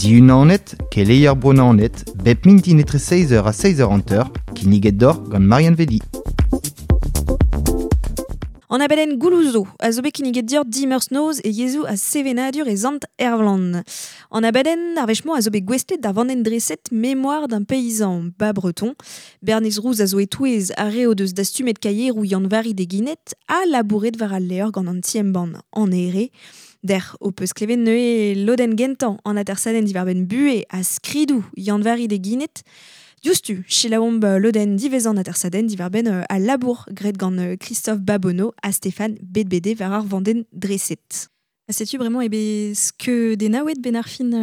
Diunanet, keleier Bro-Naoned, bep mintin etre 6h ha 6h50, kinniget deoc'h gant Marianne Vedi. An abadenn Goulouzo a zo bet kinniget deoc'h dimeurzh noz e yezhoù ha sevenadur e Sant Ervlan. An abadenn ar wech-mañ a zo bet gouestlet d'ar vandenn dreset Mémoire d'un paysan bas breton. Bernez Rouz a zo e-touez ar re o deus dastumet kaieroù Yann-Vari Deguinet ha labouret war al levr gant an ti-embann An Here. Dec'h ho peus klevet neuze lodenn gentañ an atersadenn diwar-benn buhez ha skridoù Yann-Vari Deguinet. Diouzhtu, selaouomp lodenn diwezhañ an atersadenn diwar-benn al labour graet gant Christophe Babonneau ha Stéphane Bedbede war ar vandenn dreset. Setu bremañ eo bet skeudennaouet ben ar fin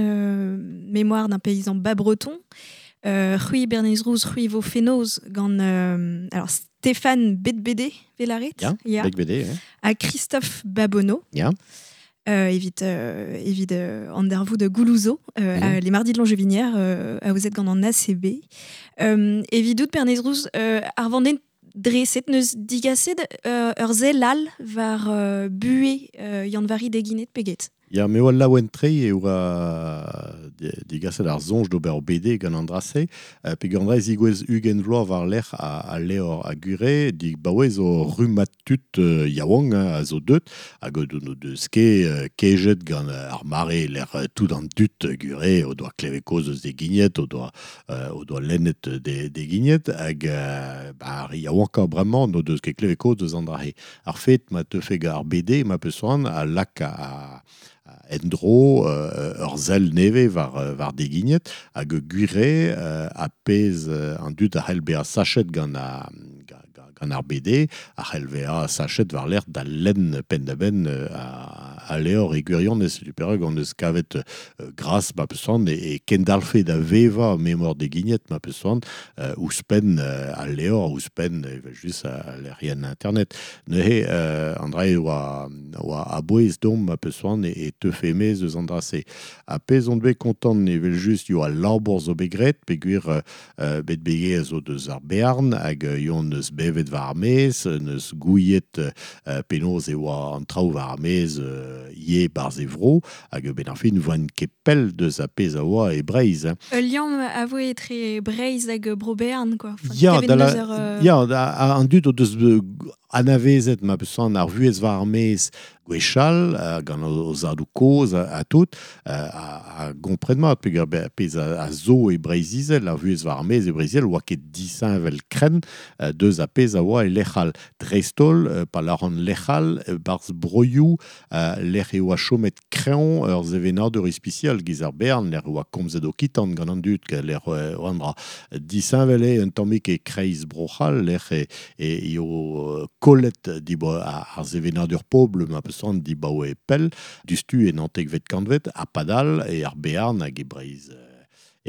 Mémoire d'un paysan bas breton. C'hwi Bernez Rouz, c'hwi vo fenoz gant alors Stéphane Bedbede, velaret Ya, ya. Bedbede, ya. Ha Christophe Babonneau. Ya. Evit evit an darvoud Goulouzo, les mardis de Longevinière, aozet gant an ACB. Evidout Bernez Rouz, ar vandenn dreset neus digaset ur sell all war buhez Yann-Vari Deguinet peget. Ya, me oa laouen-tre e oa digaset ar soñj d'ober ur BD gant an dra-se. Peogwir an dra e zigouez 20 vloaz war-lerc'h al levr a gure, dibaoe zo rummad tud yaouank hein, a zo deut, hag o deus ket kejet gant ar mare lec'h tout an dud gure o doa klevet kaoz eus Deguignet, o doa lennet Deguignet, hag ba, ar re yaouankañ bremañ n'o deus ket klevet kaoz eus an dra-se. Ar fet ma teufe gant ar BD ma peus c'hoant a lak en-dro ur sell nevez war Deguignet hag gwir eo ar pezh an dud a c'hell bezañ sachet gant ar gant ar BD a c'hell bezañ sachet war-lerc'h da lenn penn-da-benn al levr e gwirionez. Setu perak hon eus kavet gras ma peus c'hoant e kendalc'hfe da vevañ memor Deguignet ma peus c'hoant ouzhpenn al levr, ouzhpenn evel-just al lec'hienn internet. Neuze an dra eo oa a-bouez deomp ma peus c'hoant e teufe e-maez eus an dra-se. Ha pezh on bet kontant evel-just eo al labour zo bet graet peogwir bet begez zo deus ar Bearn hag yon eus bevet war ar maez, neus gouiet penaos e oa an traoù war ar maez ivez 'barzh e vro hag benn ar fin 'voent ket pell deus ar pezh a oa e Breizh. Hein. Ul liamm a voe etre Breizh hag Bro-Bearn quoi. Enfin, Ya, klevet da la, neus ur, ya, da, an dud o deus anavezet ma peus c'hoant ar vuhez war ar maez gwechall gant o zadoù kozh ha tout a gompren mat peogwir pezh a zo e Breizh-Izel, ar vuhez war ar maez e Breizh-Izel oa ket disheñvel krenn deus ar pezh a oa e lec'h all. Dreist-holl, pa lâran lec'h all, 'barzh broioù lec'h e oa chomet kreñv ur sevenadur ispisial giz ar Bearn, lec'h e oa komzet okitan gant an dud, lec'h oa an dra. Disheñvel eo un tammig e-kreiz Bro-C'hall, lec'h e eo kollet ar sevenadur pobl ma peus c'hoant dibaoe pell, diouzhtu en naontekvet kantved, ha padal e ar Bearn hag e Breizh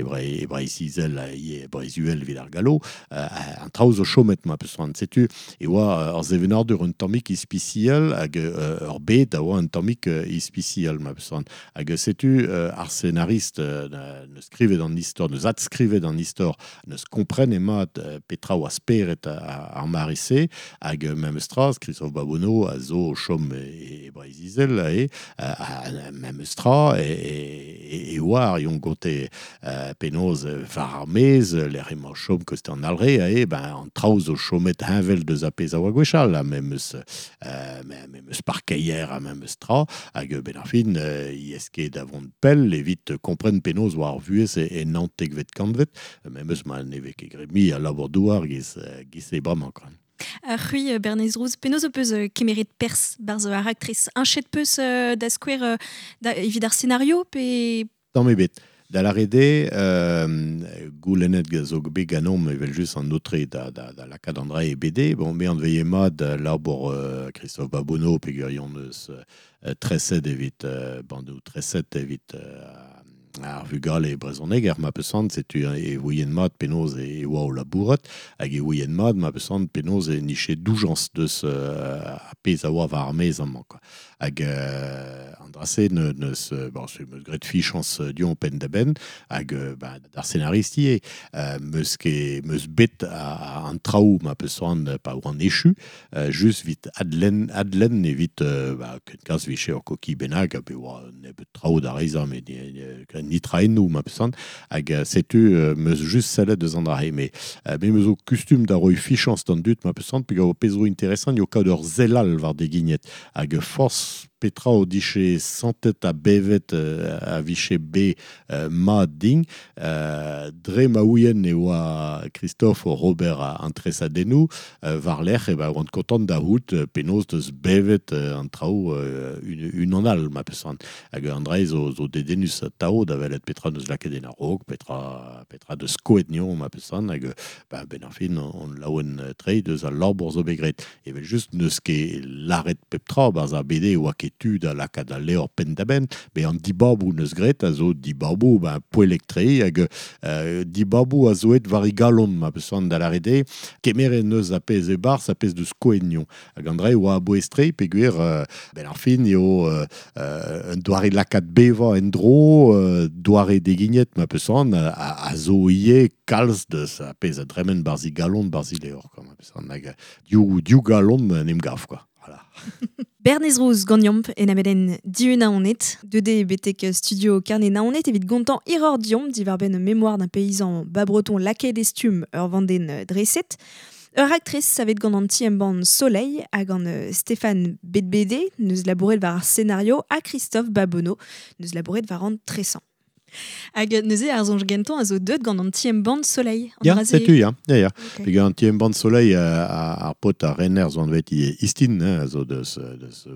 e Breizh-Izel e Breizh-Uhel evit ar gallo, an traoù zo chomet ma peus c'hoant. Setu e oa ur sevenadur un tammig ispisial hag ur bed a oa un tammig ispisial ma peus c'hoant. Hag setu ar senarist neus skrivet an istor, neus adskrivet an istor, neus komprenet mat petra oa spered ar mare-se, hag memes tra, Christophe Babonneau a zo o chom e Breizh-Izel, e memes tra, e oar yon gonte penaos war ar maez, lec'h emañ chom koste an Alre, e ben an traoù zo chomet heñvel deus ar pezh a oa gwechall, ha memes memes parkeier ha memes tra, hag ben ar fin, i ez ket da vont pell evit kompren penaos oa ar vuhez e naontekvet kantved, memes ma ne vez ket graet mui a labour-douar giz e bremañ quoi. Ar c'hwi Bernez Rouz, penaos ho peus kemeret perzh barzh ar raktres? Heñchet peus da skouer evit ar scenario pe... Tamm ebet. Da lâret eo, goulennet zo bet ganeomp evel-just an aotre da lakaat an dra e BD. Bon, me anveye mat labour Christophe Babonneau peogwir yon eus treset evit bandoù treset evit ar vugale brezhoneger ma peus c'hoant, setu e ouien mat penaos e oa o labourat hag e ouien mat ma peus c'hoant penaos e niche doujañs deus ar pezh a oa war ar maez amañ quoi. Hag an drase neus, bon, se meus gret fichans dion pen da ben, hag ba, d'ar scénariste ie, meus ket meus bet a, an traoù ma peus soan pa oan echu, just vit adlen evit ba, ken kas viche ur koki bennak, a be oa nebeut traoù da reizañ, met ni traennoù ma peus soan, hag setu meus just sellet deus an drahe, me meus o kustum da roi fichans d'an dut ma peus soan, peg o pezro interesant yo kaout ur zelal war de gignet, hag force petra o diche santet a bevet a viche be ma ding dre ma ouien e oa Christophe o Robert a antresadennoù war lec'h e ba oant kontant da hout penaos deus bevet an traoù un an al ma peus hag an dra zo, zo dedennus tao da welet petra deus lakaet en a-raok, petra deus skoet nion ma peus hag ba, ben ar fin on laouen tre deus al labour zo bet graet. Evel just neus ket laret pep tra barz ar BD oa ket tu da lakaat al levr penn da benn, be an dibabou neus graet a zo dibabou ben poellek tre hag dibabou a zo et war i galon ma peus da lâret eo, kemeret neus a pezh e barz a pezh deus skoet nion. Hag an dra oa aboez tre peogwir ben ar fin eo un doare lakaat bevañ en dro, doare degignet ma peus a zo ivez kalz deus a pezh a dremen barz i galon barz i levr, quoi, ma peus hag div galon en em gav, quoi. Voilà. Bernez Rouz gant en abeden diun aonet, 2D betek studio Carnet naonet evit gontan iror diomp diwar ben mémoire d'un paysan bas breton laket estum ur vanden dreset. Ur actrice savet gant an ti embann Soleil hag an Stéphane Bedbede neus labouret war ar scénario ha Christophe Babonneau neus labouret war an tresan. Hag neuze ar zonj gentan a zo deut gant an ti embann Soleil. An Ya, setu, ya, ya, ya. Ok. Peogwir an ti embann Soleil ar pot a renner zo anvet i Istin, hein, a zo deus, deus,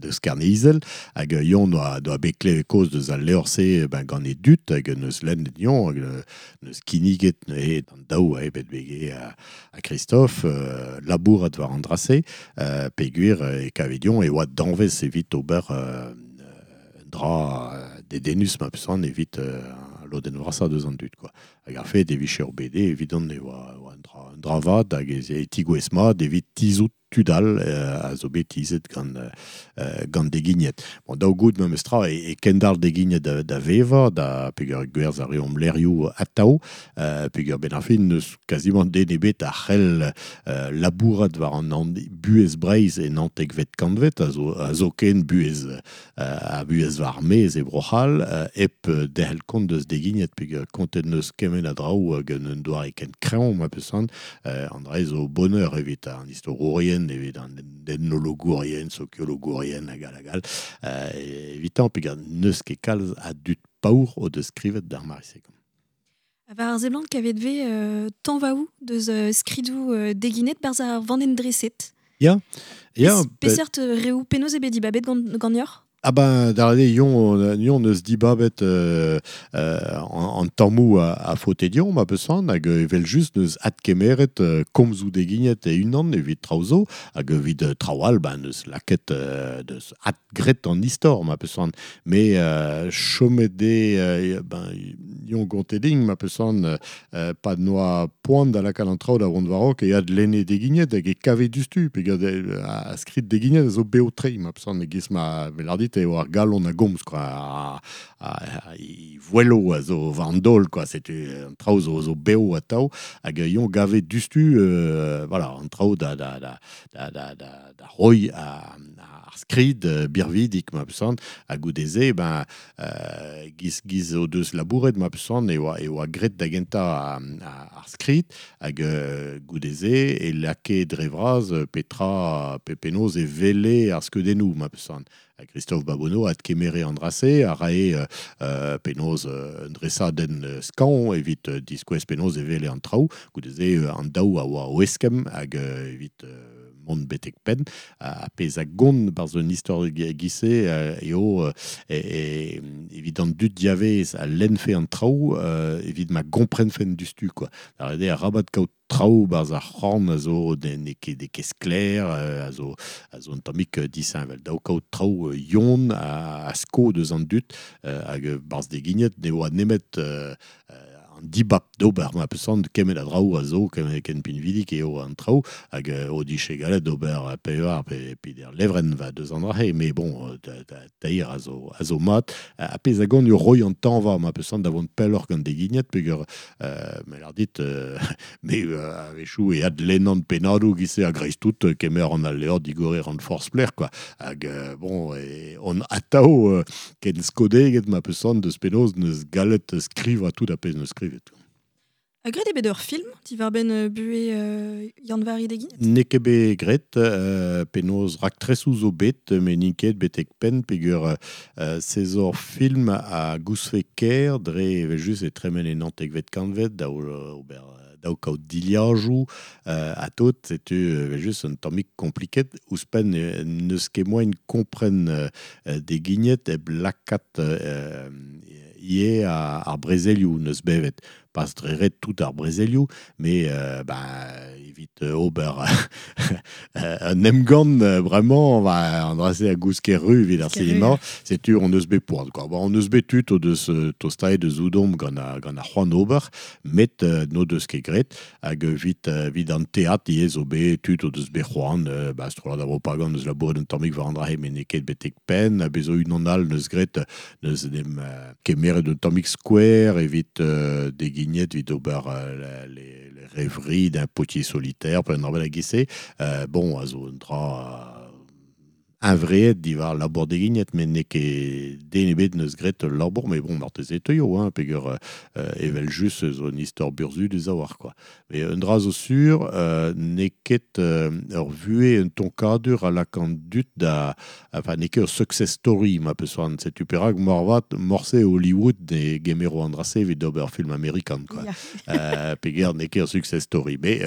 deus Karne-Izel, hag yon doa bet klevet koz deus al levr-se ben, gant e dut, hag neus lennet yon, hag neus kinniget neuze d'an daou a bet bege a Christophe, labourat war an drase, peogwir e kavet yon e oa danvez evit ober dra dedennus ma peus evit lodenn vrasañ deus an dud, quoi. Hag ar fet e vije ur BD, evidon e oa un dra vat hag e tigouez mat evit tizout tud all a zo bet tizet gant degignet. Bon, daou gout memes tra e kendal degignet da vevañ, da peogwir gwerzh ar reomp lerioù atao, peogwir ben ar fin neus quasiment den ebet a c'hell labourat war an buhez Breizh e naontekvet kantvet, a zo ken buhez a buhez war mez e Bro-C'hall, hep derc'hel kont deus degignet, peogwir kontet neus kement a draoù hag un doare ken kreñv ma peus an dra zo bonheur evit an istorourien, evit an ethnologourien, sokiologourien hag all hag all. Evitan peogwir neus ket kalz a dud paour o deus skrivet d'ar mare-se. War ar seblant kavet ve tanvaoù deus skridoù deginet barz ar vanden dreset. Ya, ya, Peseurt reoù penaos eo bet dibabet gant yor? Ah ben, d'ar eo, yon eus dibabet an tammou a faote dion, ma peus hag evel just neus adkemeret komzoù degignet e unan evit traoù zo, hag evit traoù all, ben, neus laket deus adgret an istor, ma peus me chomet de ben, yon gonte ding, ma peus pa noa poan da lakaat an traoù da vont warok, e adlenne degignet hag e kave dustu, pe gant a skrid degignet a zo beo tre, ma peus e giz ma velardit eo ar galon a gomz, quoi, a i voelo a zo war an daol, quoi, setu an traoù zo beo atao, hag yon gave dustu, voilà, an traoù da roi ar skrid birvidik, ma peus hag goudeze, ben, giz o deus labouret, ma peus e oa gret da gentañ ar skrid, hag goudeze, e lake dre vras petra pe penaos e vele ar skeudennoù, ma peus Hag Christophe Babonneau a kemere an drase, a rae penaos un dresadenn skañv evit diskouez penaos e vele an traoù, goudeze an daou a oa o eskemm hag evit mont betek penn, a pezh a gont barz un istor gise eo evit an dud diavez a lennfe an traoù evit ma gomprenfen dustu, quoi. Ar eo rabat kaout traoù barz ar c'horn a zo ne ket de ket sklaer, a zo un tammig disheñvel. Daou kaout traoù yon a sko deus an dud, hag barz degignet ne oa nemet an dibab d'ober ma peus an kemet a draoù a zo kemet ken pinvidik eo an traoù hag o diche galet d'ober pevar pe der levren va deus an drahe mais bon teir a zo mat a pezh a gant ur roi an tañva ma peus an da vont pelloc'h gant degignet peogwir me lar dit me a-wechoù e adlennan pennadoù giz-se a greiz tout kemer an al levr digorer an forzh plec'h quoi hag bon e on atao ken skodeget ma peus an deus penaos neus galet skrivañ tout a pezh neus skrivet. A gret eo bet ur film diwar-benn buhez Yann-Vari Deguignet? N'eo ket bet graet penaos raktresoù zo bet, met n'int ket betek penn peogwir se zo ur film a goustfe ker dre evel-just e tremen en naontekvet kantved da ober daou kaout dilhajoù ha tout, setu evel-just un tammig kompliket. Ouzhpenn n'eus ket moaien kompren Deguignet hep lakaat ivez ar brezelioù neus bevet. Pas dre ret tout ar brezelioù, mais evit ober un emgann bremañ an dra-se a gousk ru evit ar sinema, setu on eus bet poan quoi. Bon, on eus bet tud o deus tostaet deus ouzomp gant ar c'hoant ober, met n'o deus ket graet, hag evit an teatr ivez zo bet tud o deus bet c'hoant, strollad ar propagand eus labouret un tammig war an dra-se, met n'eo ket betek penn, ha bez zo unan all neus graet, neus en em kemeret un tammig skouer evit Deguignet evit ober les rêveries d'un potier solitaire, pe un dra bennak giz-se. Bon, a zo un dra huñvreet diwar labour Deguignet, met n'eo ket den ebet neus graet ul labour, mais bon, marteze e teuio, hein, peogwir evel-just zo un istor burzhudus a-walc'h, quoi. Mais un dra zo sur, n'eo ket ur vuhez un tonkadur a lak an dud da... Enfin, n'eo ket ur success story, ma peus c'hoant. Setu perak moarvat morse Hollywood ne gemero an dra-se evit ober film amerikan, quoi. Ya. Peogwir n'eo ket ur success story, mais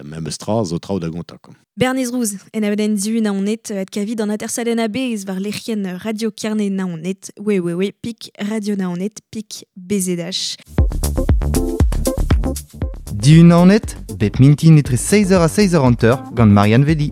memes tra zo traoù da gontañ, quoi. Bernez Rouz, en abadenn Dihu Naoned, adkavit an atersadenn a-bezh war lec'hienn Radio Kerne Naoned, www pik Radio Naoned pik BZH. Dihu Naoned, bep mintin etre 6h ha 6h50 gant Marianne Velli.